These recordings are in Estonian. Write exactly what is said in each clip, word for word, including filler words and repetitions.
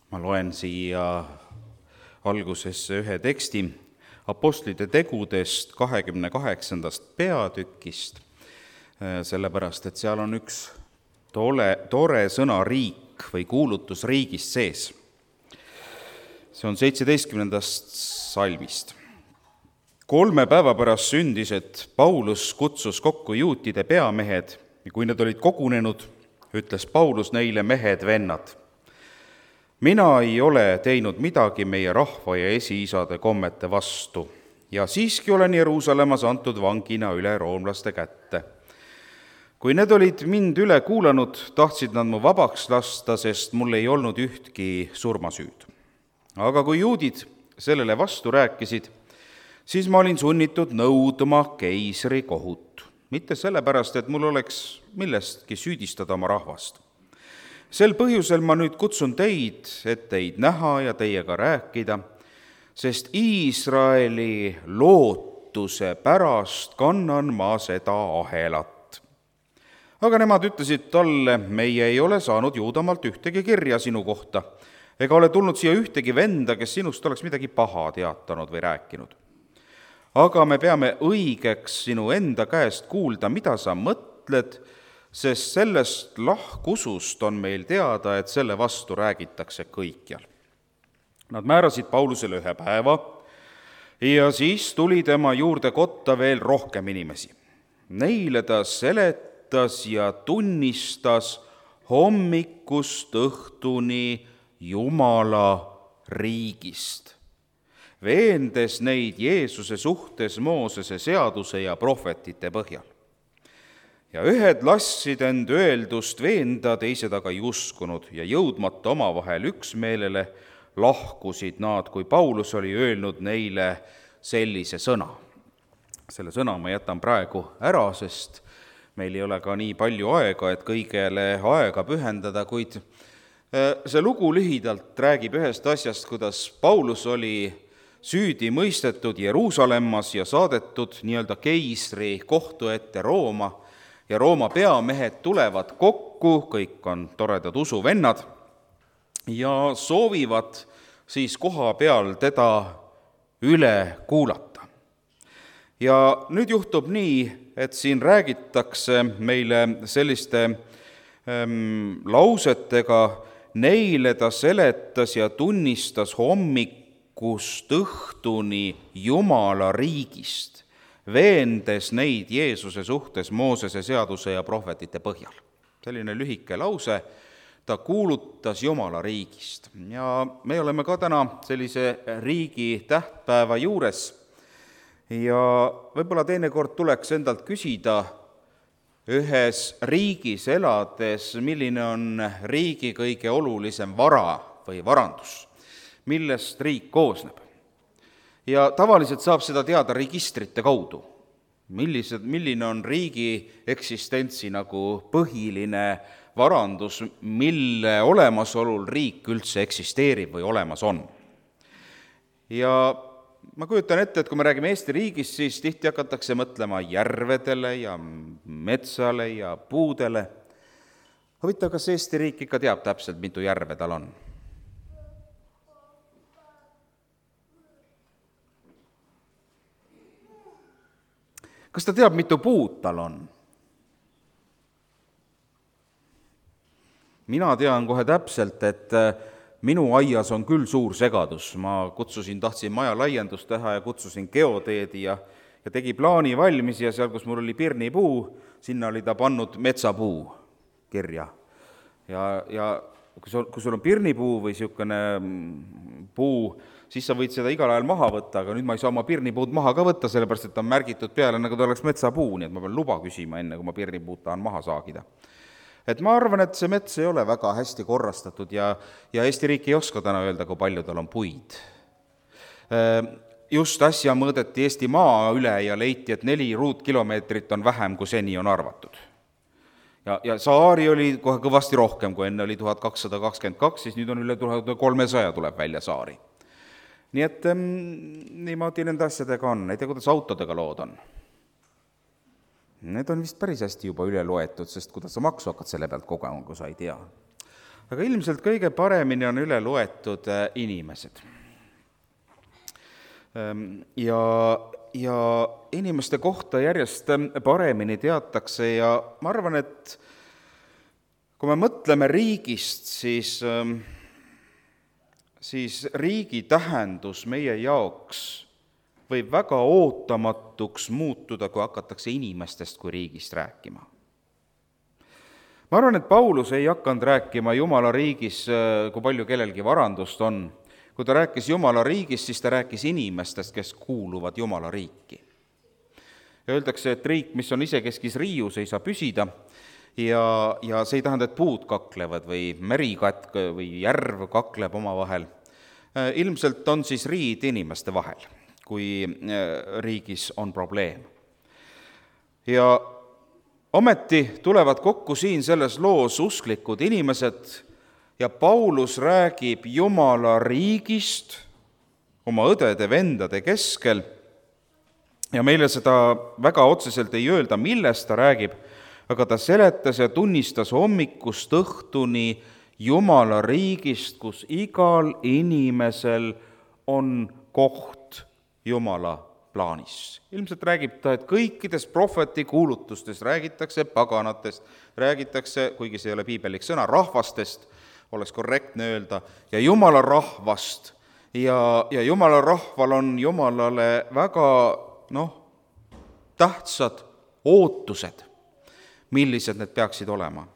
Ma loen siia algusesse ühe teksti Apostlite tegudest kahekümne kaheksandast peatükist, sellepärast et seal on üks tole, tore sõna riik või kuulutus riigist sees. See on seitseteistkümnendast salmist. Kolme päeva pärast sündis, et Paulus kutsus kokku juutide peamehed ja kui nad olid kogunenud, ütles Paulus neile: mehed, vennad, mina ei ole teinud midagi meie rahva ja esiisade kommete vastu ja siiski olen Jeruusalemmas antud vangina üle roomlaste kätte. Kui need olid mind üle kuulanud, tahtsid nad mu vabaks lasta, sest mul ei olnud ühtki surmasüüd. Aga kui juudid sellele vastu rääkisid, siis ma olin sunnitud nõudma keisri kohut, mitte sellepärast, et mul oleks millestki süüdistada oma rahvast. Sel põhjusel ma nüüd kutsun teid, et teid näha ja teiega rääkida, sest Iisraeli lootuse pärast kannan ma seda ahelat. Aga nemad ütlesid talle: meie ei ole saanud Juudamaalt ühtegi kirja sinu kohta, ega ole tulnud siia ühtegi venda, kes sinust oleks midagi paha teatanud või rääkinud. Aga me peame õigeks sinu enda käest kuulda, mida sa mõtled, sest sellest lahkusust on meil teada, et selle vastu räägitakse kõikjal. Nad määrasid Paulusele ühe päeva ja siis tuli tema juurde kotta veel rohkem inimesi. Neile ta seletas ja tunnistas hommikust õhtuni Jumala riigist, veendes neid Jeesuse suhtes Moosese seaduse ja prohvetite põhjal. Ja ühed lassid end öeldust veenda, teised aga ei uskunud ja jõudmata omavahel üksmeelele lahkusid nad, kui Paulus oli öelnud neile sellise sõna. Selle sõna ma jätan praegu ära, sest meil ei ole ka nii palju aega, et kõigele aega pühendada, kuid see lugu lühidalt räägib ühest asjast, kuidas Paulus oli süüdi mõistetud Jeruusalemmas ja saadetud nii-öelda keisri kohtu ette Rooma, ja Rooma peamehed tulevad kokku, kõik on toredad usuvennad, ja soovivad siis koha peal teda üle kuulata. Ja nüüd juhtub nii, et siin räägitakse meile selliste ähm, lausetega: neile ta seletas ja tunnistas hommikust õhtuni Jumala riigist, veendes neid Jeesuse suhtes Moosese seaduse ja prohvetite põhjal. Selline lühike lause, ta kuulutas Jumala riigist. Ja me oleme ka täna sellise riigi tähtpäeva juures ja võib-olla teinekord tuleks endalt küsida ühes riigis elades, milline on riigi kõige olulisem vara või varandus, millest riik koosneb. Ja tavaliselt saab seda teada registrite kaudu, millised, milline on riigi eksistentsi nagu põhiline varandus, mille olemasolul riik üldse eksisteerib või olemas on. Ja ma kujutan ette, et kui me räägime Eesti riigist, siis tihti hakatakse mõtlema järvedele ja metsale ja puudele. Huvitav, kas Eesti riik ikka teab täpselt, mitu järve tal on? Kas ta teab, mitu puud tal on? Mina tean kohe täpselt, et minu aias on küll suur segadus. Ma kutsusin, tahtsin maja laiendust teha ja kutsusin geoteedi ja, ja tegi plaani valmis ja seal, kus mul oli pirnipuu, sinna oli ta pannud metsapuu kirja. Ja, ja kui sul, kui sul on pirnipuu või niisugune puu, siis sa võid seda igal ajal maha võtta, aga nüüd ma ei saa oma pirnipuud maha ka võtta, sellepärast et ta on märgitud peale, nagu ta oleks metsapuu, nii et ma pean luba küsima enne, kui ma pirnipuud tahan maha saagida. Et ma arvan, et see mets ei ole väga hästi korrastatud ja, ja Eesti riik ei oska täna öelda, kui palju tal on puid. Just äsja mõõdeti Eesti maa üle ja leiti, et neli ruutkilomeetrit on vähem, kui seni on arvatud. Ja, ja saari oli kohe kõvasti rohkem, kui enne oli tuhat kakssada kakskümmend kaks, siis nüüd on üle tuhat kolmesaja tuleb välja saari. Nii et ähm, niimoodi nende asjadega on, ei tea, kuidas autodega lood on. Need on vist päris hästi juba üle loetud, sest kuidas sa maksu hakkad selle pealt kogema, kui sa ei tea. aga ilmselt kõige paremini on üle loetud inimesed. Ja, ja inimeste kohta järjest paremini teatakse ja ma arvan, et kui me mõtleme riigist, siis, siis riigi tähendus meie jaoks võib väga ootamatuks muutuda, kui hakatakse inimestest kui riigist rääkima. Ma arvan, et Paulus ei hakanud rääkima Jumala riigis, kui palju kellelgi varandust on. Kui ta rääkis Jumala riigis, siis ta rääkis inimestest, kes kuuluvad Jumala riiki. Ja öeldakse, et riik, mis on isekeskis riius, ei saa püsida ja, ja see ei tähenda, et puud kaklevad või merikatk või järv kakleb oma vahel. Ilmselt on siis riid inimeste vahel, kui riigis on probleem. Ja ometi tulevad kokku siin selles loos usklikud inimesed ja Paulus räägib Jumala riigist oma õdede-vendade keskel ja meile seda väga otseselt ei öelda, millest ta räägib, aga ta seletas ja tunnistas hommikust õhtuni Jumala riigist, kus igal inimesel on koht Jumala plaanis. Ilmselt räägib ta, et kõikides prohveti kuulutustes räägitakse paganatest, räägitakse, kuigi see ei ole piibelik sõna, rahvastest, oleks korrektne öelda, ja Jumala rahvast. Ja, ja Jumala rahval on Jumalale väga noh, tähtsad ootused, millised need peaksid olema.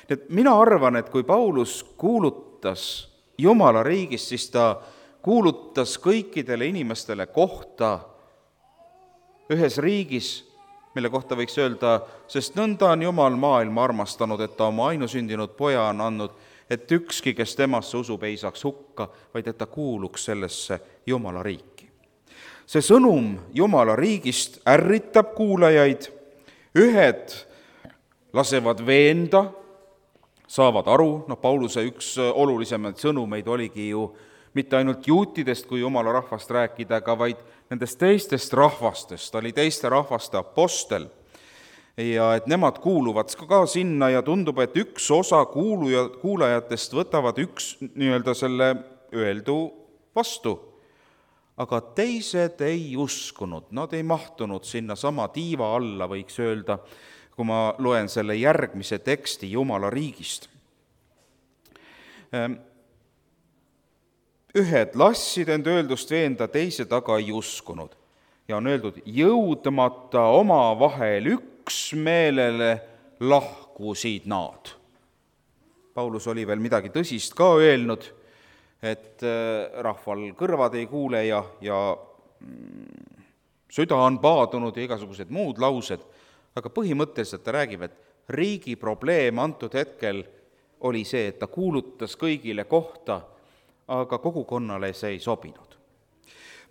Et mina arvan, et kui Paulus kuulutas Jumala riigis, siis ta kuulutas kõikidele inimestele kohta ühes riigis, mille kohta võiks öelda, sest nõnda on Jumal maailma armastanud, et ta oma ainusündinud poja on andnud, et ükski, kes temasse usub, ei saaks hukka, vaid et ta kuuluks sellesse Jumala riiki. See sõnum Jumala riigist ärritab kuulajaid, ühed lasevad veenda, saavad aru, no Pauluse üks olulisemaid sõnumeid oligi ju mitte ainult juutidest kui Jumala rahvast rääkida, aga vaid nendest teistest rahvastest, ta oli teiste rahvaste apostel ja et nemad kuuluvad ka sinna ja tundub, et üks osa kuuluja, kuulajatest võtavad üks nii-öelda selle öeldu vastu, aga teised ei uskunud, nad ei mahtunud sinna sama tiiva alla, võiks öelda, kui ma loen selle järgmise teksti Jumala riigist. Ühed lassid end öeldust veenda, teised aga ei uskunud. Ja on öeldud, jõudmata oma vahel üksmeelele lahkusid nad. Paulus oli veel midagi tõsist ka öelnud, et rahval kõrvad ei kuule ja, ja süda on paadunud ja igasugused muud laused, aga põhimõtteliselt ta räägib, et riigi probleem antud hetkel oli see, et ta kuulutas kõigile kohta, aga kogukonnale see ei sobinud.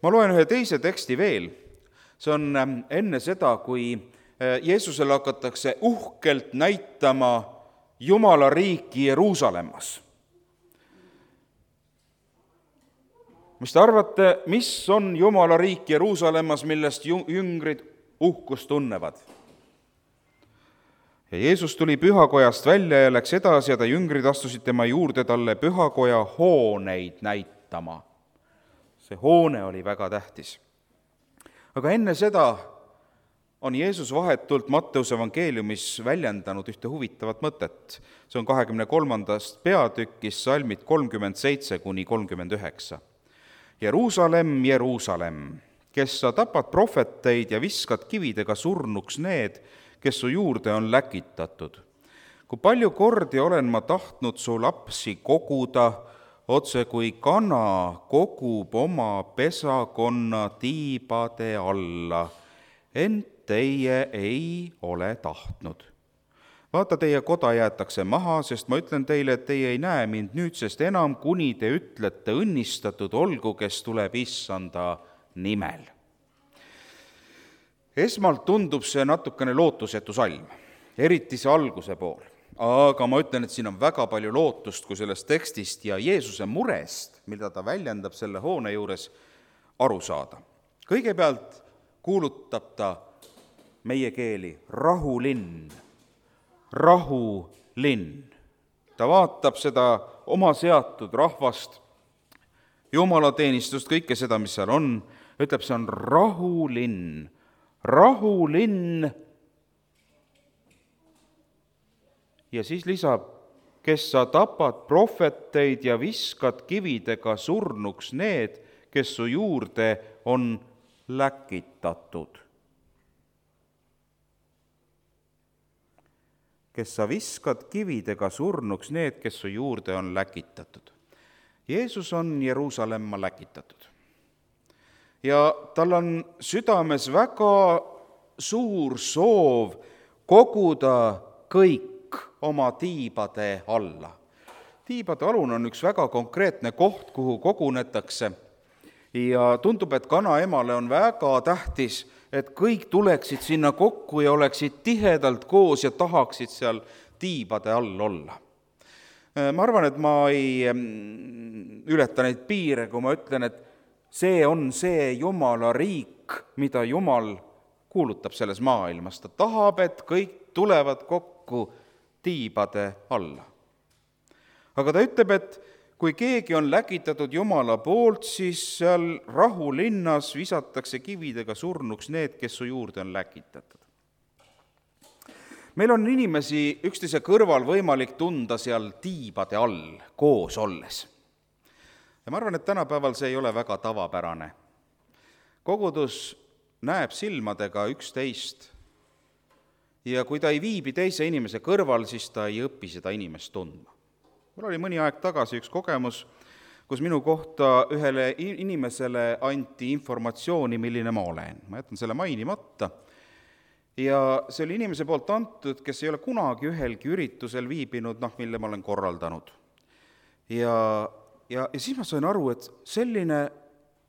Ma loen ühe teise teksti veel. See on enne seda, kui Jeesusele hakatakse uhkelt näitama Jumala riiki Jeruusalemmas. Mis te arvate, mis on Jumala riik Jeruusalemmas, millest jüngrid uhkust tunnevad? Ja Jeesus tuli pühakojast välja ja läks edasi ja ta jüngrid astusid tema juurde talle pühakoja hooneid näitama. See hoone oli väga tähtis. Aga enne seda on Jeesus vahetult Matteuse evangeeliumis väljendanud ühte huvitavat mõtet. See on kahekümne kolmandast peatükis salmid kolmkümmend seitse kuni kolmkümmend üheksa. Jeruusalemm, Jeruusalemm, kes sa tapad prohveteid ja viskad kividega surnuks need, kes su juurde on läkitatud. Kui palju kordi olen ma tahtnud su lapsi koguda, otse kui kana kogub oma pesakonna tiibade alla, ent teie ei ole tahtnud. Vaata, teie koda jäetakse maha, sest ma ütlen teile, et teie ei näe mind nüüdsest enam, kuni te ütlete õnnistatud olgu, kes tuleb issanda nimel. Esmalt tundub see natukene lootusetu salm, eriti see alguse pool. Aga ma ütlen, et siin on väga palju lootust, kui sellest tekstist ja Jeesuse murest, mida ta väljendab selle hoone juures, aru saada. Kõigepealt kuulutab ta meie keeli rahulinn, rahulinn. ta vaatab seda oma seatud rahvast, jumalateenistust, kõike seda, mis seal on, ütleb, see on rahulinn, rahulinn. Ja siis lisab, kes sa tapad prohveteid ja viskad kividega surnuks need, kes su juurde on läkitatud. Kes sa viskad kividega surnuks need, kes su juurde on läkitatud. Jeesus on Jeruusalemma läkitatud. Ja tal on südames väga suur soov koguda kõik oma tiibade alla. Tiibade alun on üks väga konkreetne koht, kuhu kogunetakse ja tundub, et kanaemale on väga tähtis, et kõik tuleksid sinna kokku ja oleksid tihedalt koos ja tahaksid seal tiibade all olla. Ma arvan, et ma ei ületa neid piire, kui ma ütlen, et see on see Jumala riik, mida Jumal kuulutab selles maailmas. Ta tahab, et kõik tulevad kokku tiibade alla. Aga ta ütleb, et kui keegi on läkitatud Jumala poolt, siis seal rahulinnas visatakse kividega surnuks need, kes su juurde on läkitatud. Meil on inimesi üksteise kõrval võimalik tunda seal tiibade all koos olles. Ja ma arvan, et tänapäeval see ei ole väga tavapärane. Kogudus näeb silmadega üksteist ja kui ta ei viibi teise inimese kõrval, siis ta ei õpi seda inimest tundma. Mul oli mõni aeg tagasi üks kogemus, kus minu kohta ühele inimesele anti informatsiooni, milline ma olen. Ma jätan selle mainimata. Ja see oli inimese poolt antud, kes ei ole kunagi ühelgi üritusel viibinud, noh, mille ma olen korraldanud. Ja, ja, ja siis ma sain aru, et selline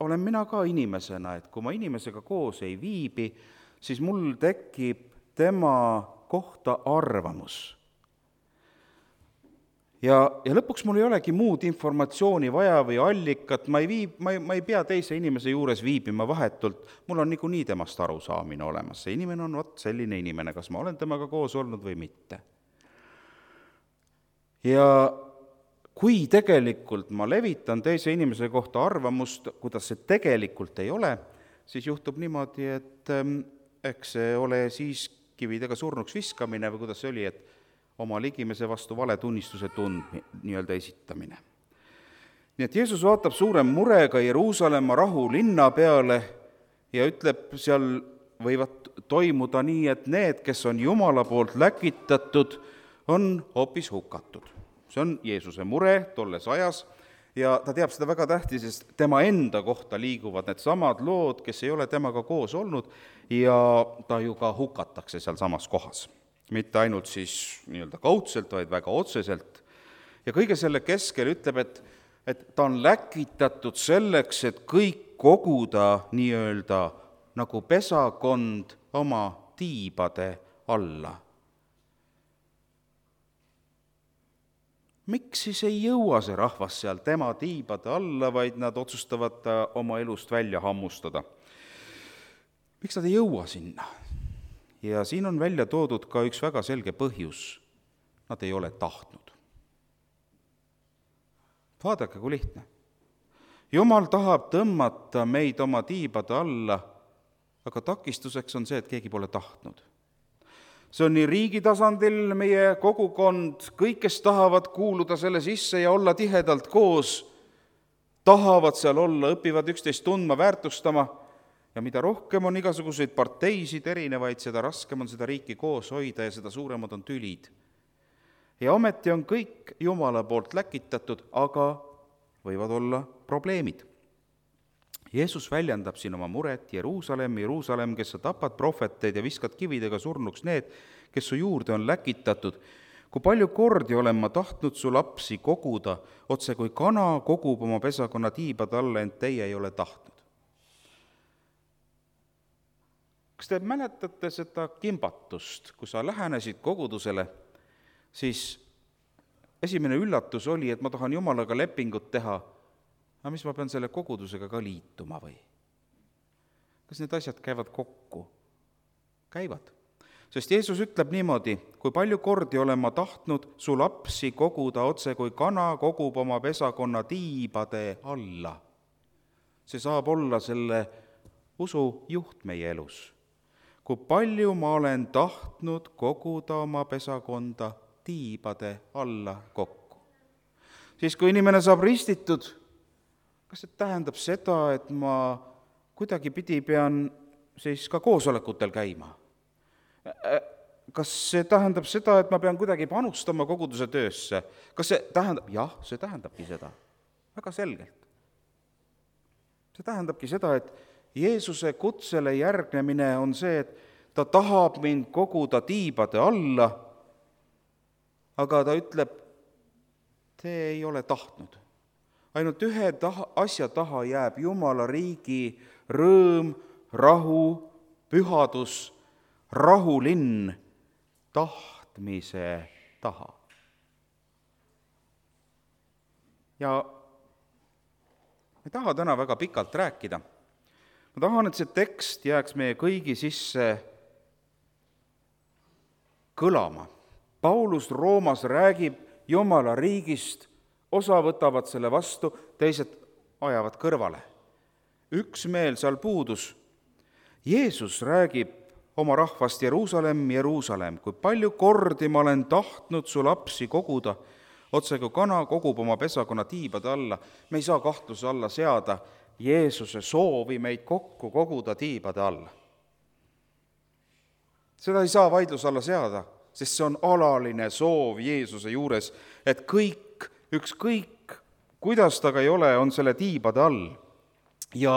olen mina ka inimesena, et kui ma inimesega koos ei viibi, siis mul tekib tema kohta arvamus. Ja, ja lõpuks mul ei olegi muud informatsiooni vaja või allikat, ma ei, viib, ma, ei, ma ei pea teise inimese juures viibima vahetult, mul on niikuinii temast arusaamine olemas. See inimene on vot selline inimene, kas ma olen temaga koos olnud või mitte. Ja kui tegelikult ma levitan teise inimese kohta arvamust, kuidas see tegelikult ei ole, siis juhtub niimoodi, et ähm, eks see ole siis kividega surnuks viskamine või kuidas see oli, et oma ligimese vastu valetunnistuse tund nii-öelda esitamine. Nii et Jeesus vaatab suure murega Jeruusalemma rahulinna peale ja ütleb, seal võivad toimuda nii, et need, kes on Jumala poolt läkitatud, on hoopis hukatud. See on Jeesuse mure tolles ajas ja ta teab seda väga tähtis, sest tema enda kohta liiguvad need samad lood, kes ei ole temaga koos olnud ja ta ju ka hukatakse seal samas kohas. Mitte ainult siis nii-öelda kaudselt, vaid väga otseselt. Ja kõige selle keskel ütleb, et, et ta on läkitatud selleks, et kõik koguda nii-öelda nagu pesakond oma tiibade alla. Miks siis ei jõua see rahvas seal tema tiibade alla, vaid nad otsustavad oma elust välja hammustada? Miks nad ei jõua sinna? Ja siin on välja toodud ka üks väga selge põhjus. Nad ei ole tahtnud. Vaadake, kui lihtne. Jumal tahab tõmmata meid oma tiibade alla, aga takistuseks on see, et keegi pole tahtnud. See on nii riigi tasandil meie kogukond, kõik, kes tahavad kuuluda selle sisse ja olla tihedalt koos, tahavad seal olla, õpivad üksteist tundma, väärtustama, ja mida rohkem on igasuguseid parteisid erinevaid, seda raskem on seda riiki koos hoida ja seda suuremad on tülid. Ja ometi on kõik Jumala poolt läkitatud, aga võivad olla probleemid. Jeesus väljendab siin oma muret, Jeruusalemm, Jeruusalemm, kes sa tapad prohveteid ja viskad kividega surnuks need, kes su juurde on läkitatud. Kui palju kordi olen ma tahtnud su lapsi koguda, otse kui kana kogub oma pesakonna tiibade alla, ent teie ei ole tahtnud. Kas te mäletate seda kimbatust, kui sa lähenesid kogudusele, siis esimene üllatus oli, et ma tahan Jumalaga lepingut teha, aga mis ma pean selle kogudusega ka liituma või? Kas need asjad käivad kokku? Käivad. Sest Jeesus ütleb niimoodi, kui palju kordi olen ma tahtnud su lapsi koguda otse, kui kana kogub oma pesakonna tiibade alla. See saab olla selle usu juht meie elus. Kui palju ma olen tahtnud koguda oma pesakonda tiibade alla kokku. Siis kui inimene saab ristitud, kas see tähendab seda, et ma kuidagi pidi pean siis ka koosolekutel käima? Kas see tähendab seda, et ma pean kuidagi panustama koguduse töösse? Kas see tähendab? Jah, see tähendabki seda. Väga selgelt. See tähendabki seda, et Jeesuse kutsele järgnemine on see, et ta tahab mind koguda tiibade alla, aga ta ütleb, te ei ole tahtnud. Ainult ühe taha, asja taha jääb Jumala riigi rõõm, rahu, pühadus, rahulinn tahtmise taha. Ja ma ei taha täna väga pikalt rääkida. Ma tahan, et see tekst jääks meie kõigi sisse kõlama. Paulus Roomas räägib Jumala riigist, osa võtavad selle vastu, teised ajavad kõrvale. Üks meel seal puudus. Jeesus räägib oma rahvast Jeruusalemm, Jeruusalemm, kui palju kordi ma olen tahtnud su lapsi koguda, otse kui kana kogub oma pesakonna tiibade alla. Me ei saa kahtluse alla seada Jeesuse soovi meid kokku koguda tiibade alla. Seda ei saa vaidluse alla seada, sest see on alaline soov Jeesuse juures, et kõik, ükskõik, kuidas ta ka ei ole, on selle tiibade all. Ja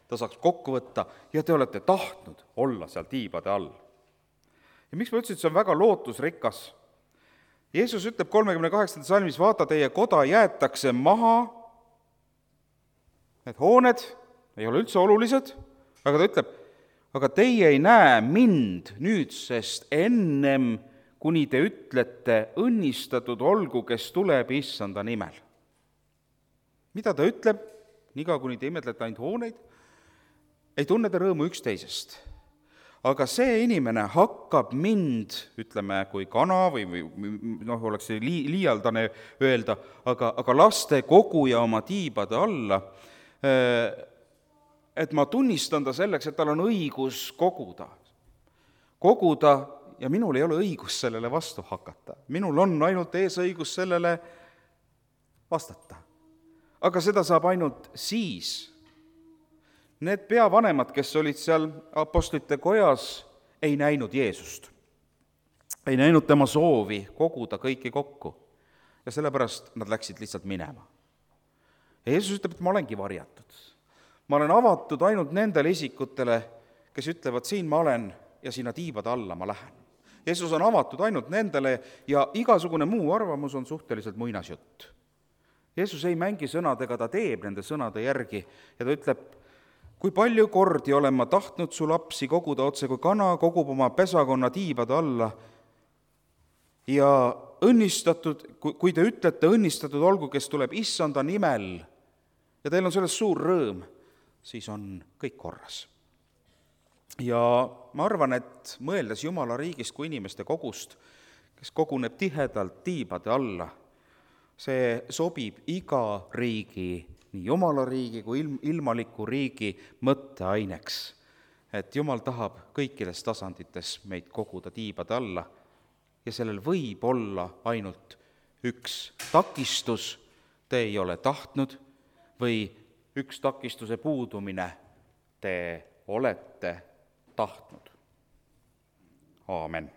ta saaks kokku võtta ja te olete tahtnud olla seal tiibade all. Ja miks ma ütlesin, et see on väga lootusrikas? Jeesus ütleb kolmekümne kaheksanda salmis, vaata, teie koda jäetakse maha, need hooned ei ole üldse olulised, aga ta ütleb, aga teie ei näe mind nüüdsest ennem, kuni te ütlete, õnnistatud olgu, kes tuleb issanda nimel. Mida ta ütleb? Niga, kuni te imetlete ainult hooneid, ei tunne ta rõõmu üksteisest. Aga see inimene hakkab mind, ütleme, kui kana või, või noh, oleks see li, liialdane öelda, aga, aga laste koguja oma tiibade alla, et ma tunnistan ta selleks, et tal on õigus koguda. Koguda ja minul ei ole õigus sellele vastu hakata. Minul on ainult eesõigus sellele vastata. Aga seda saab ainult siis. Need peavanemad, kes olid seal apostlite kojas, ei näinud Jeesust. Ei näinud tema soovi koguda kõiki kokku. Ja sellepärast nad läksid lihtsalt minema. Ja Jeesus ütleb, et ma olengi varjatud. Ma olen avatud ainult nendele isikutele, kes ütlevad, siin ma olen ja sinna tiibade alla ma lähen. Jeesus on avatud ainult nendele ja igasugune muu arvamus on suhteliselt muinasjutt. Jeesus ei mängi sõnadega, ta teeb nende sõnade järgi ja ta ütleb, kui palju kordi olen ma tahtnud su lapsi koguda otse, kui kana kogub oma pesakonna tiibade alla ja õnnistatud, kui te ütlete, õnnistatud olgu, kes tuleb issanda nimel ja teil on sellest suur rõõm, siis on kõik korras. Ja ma arvan, et mõeldes Jumala riigist kui inimeste kogust, kes koguneb tihedalt tiibade alla, see sobib iga riigi, nii Jumala riigi kui ilm, ilmaliku riigi mõtteaineks, et Jumal tahab kõikides tasandites meid koguda tiibade alla ja sellel võib olla ainult üks takistus, te ei ole tahtnud, või üks takistuse puudumine, te olete tahtnud. Aamen.